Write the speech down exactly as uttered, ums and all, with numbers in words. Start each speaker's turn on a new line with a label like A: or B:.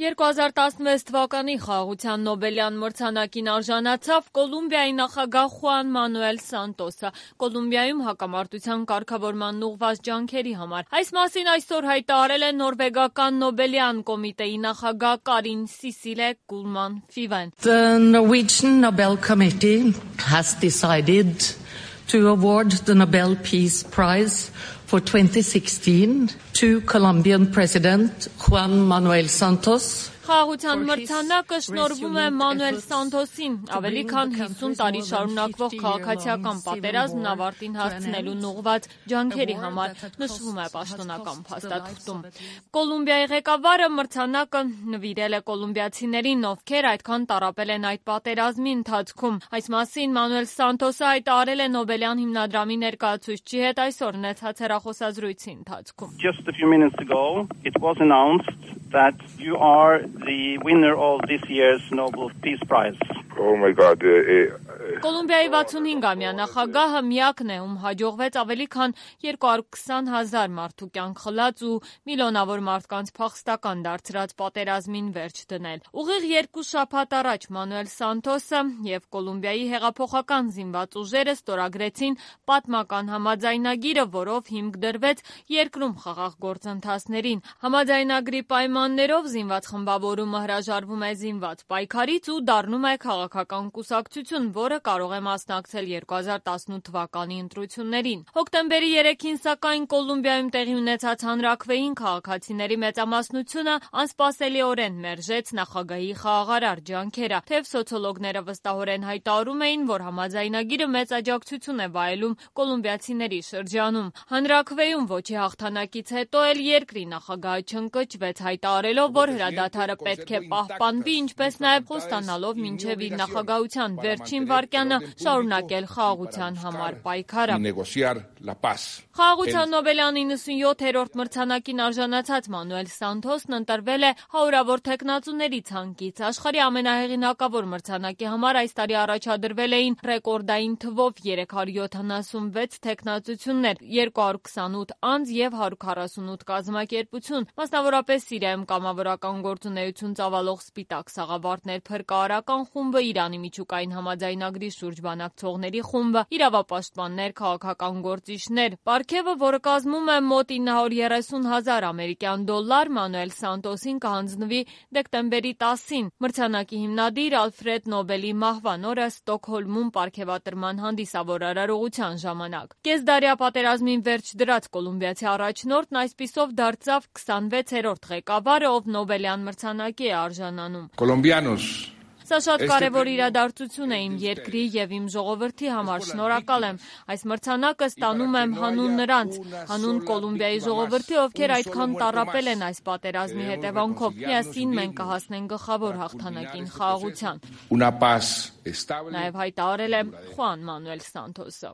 A: երկու հազար տասնվեց թվականի խաղաղության Նոբելյան մրցանակին արժանացավ Կոլումբիայի նախագահ Խուան Մանուել Սանտոսը Կոլումբիայում հակամարտության կարգավորման ուղղված ջանքերի համար։ Այս մասին այսօր հայտարարել է նորվեգական Նոբելյան կոմիտեի նախագահ Կարին Սիսիլե Կուլման Ֆիվեն։
B: The Norwegian Nobel Committee has decided to award the Nobel Peace Prize for twenty sixteen to Colombian President Juan Manuel Santos.
A: Խաղաղության մրցանակը շնորհվում է Մանուել Սանտոսին ավելի քան հիսուն տարի շարունակվող քաղաքացիական պատերազմն ավարտին հասցնելուն ուղղված ջանքերի համար, նշվում է պաշտոնական փաստաթղթում։ Կոլումբիայի ղեկավարը մրցանակը նվիրել է կոլումբիացիներին, ովքեր այդքան տառապել են այդ պատերազմի ընթացքում։ Այս մասին Մանուել Սանտոսը հայտարարել է Նոբելյան հիմնադրամի ներկայացուցչի հետ այսօր ունեցած հեռախոսազրույցի ընթացքում։
C: Just a few minutes ago, it was announced that you are the winner of this year's Nobel Peace Prize.
D: Oh my God. Uh, uh,
A: Կոլումբիայի վաթսունհինգամյա նախագահը միակն է, ում հաջողվեց ավելի քան երկու հարյուր քսան հազար մարդու կյանք խլած ու միլիոնավոր մարդկանց փախստական դարձրած պատերազմին վերջ դնել։ Ուղիղ երկու շաբաթ առաջ Մանուել Սանտոսը եւ Կոլումբիայի հեղափոխական զինված ուժերը ստորագրեցին պատմական համաձայնագիրը, որով հիմք դրվեց երկրում խաղաղ գործընթացներին։ Համաձայնագրի պայմաններով զինված խմբավորումը հրաժարվում է զինված պայքարից ու դառնում է քաղաքական կուսակցություն, որը կարող է մասնակցել երկու հազար տասնութ թվականի ընտրություններին։ Հոկտեմբերի երեքին սակայն Կոլումբիայում տեղի ունեցած հանրաքվեին քաղաքացիների մեծամասնությունը անսպասելիորեն մերժեց նախագահի խաղաղարար ջանքերը, թեև սոցիոլոգները վստահորեն հայտարարում էին, որ համաձայնագիրը մեծ աջակցություն է վայելում կոլումբիացիների շրջանում։ Հանրաքվեում ոչի հաղթանակից հետո էլ երկրի նախագահը չընկճվեց, հայտարարելով, որ հրադադարը պետք է պահպանվի, ինչպես նաև խոստանալով մինչև իր նախագահության վերջին վարկյանը շարունակել խաղաղության համար պայքարը։ Խաղաղության Նոբելյան իննսունյոթերորդ մրցանակին արժանացած Մանուել Սանտոսն ընտրվել է հարյուրավոր թեկնածուների ցանկից։ Աշխարհի ամենահեղինակավոր մրցանակի համար այս տարի առաջադրվել էին ռեկորդային թվով երեք հարյուր յոթանասունվեց թեկնածություններ, երկու հարյուր քսանութ անձ եւ հարյուր քառասունութ կազմակերպություն, մասնավորապես Սիրիայում կամավորական գործունեություն ծավալող Սպիտակ Սաղավարտներ փրկարարական խումբը, Իրանի միջուկային համաձայնագրի շուրջ բանակցողների խումբը, իրավապաշտպաններ, քաղաքական գործիչներ։ Պարգևը, որը կազմում է մոտ ինը հարյուր երեսուն հազար ամերիկյան դոլար, Մանուել Սանտոսին կհանձնվի դեկտեմբերի տասին։ Մրցանակի հիմնադիր Ալֆրեդ Նոբելի մահվան օրը Ստոկհոլմում պարգևատրման հանդիսավոր արարողության ժամանակ։ Կեսդարյա պատերազմին վերջ դրած կոլումբիացի առաջնորդն այսպիսով դարձավ քսանվեցերորդ ղեկավարը, ով Նոբելյան մրցանակի է արժանանում։
D: Colombianos.
A: Սա շատ կարևոր իրադարձություն է իմ երկրի եւ իմ ժողովրդի համար, շնորհակալ եմ։ Այս մրցանակը ստանում եմ հանուն նրանց, հանուն Կոլումբիայի ժողովրդի, ովքեր այդքան տառապել են այս պատերազմի հետևանքով։ Միասին մենք կհասնենք գլխավոր հաղթանակին, խաղաղության։ Նաև հայտարարել է Խուան Մանուել Սանտոսը։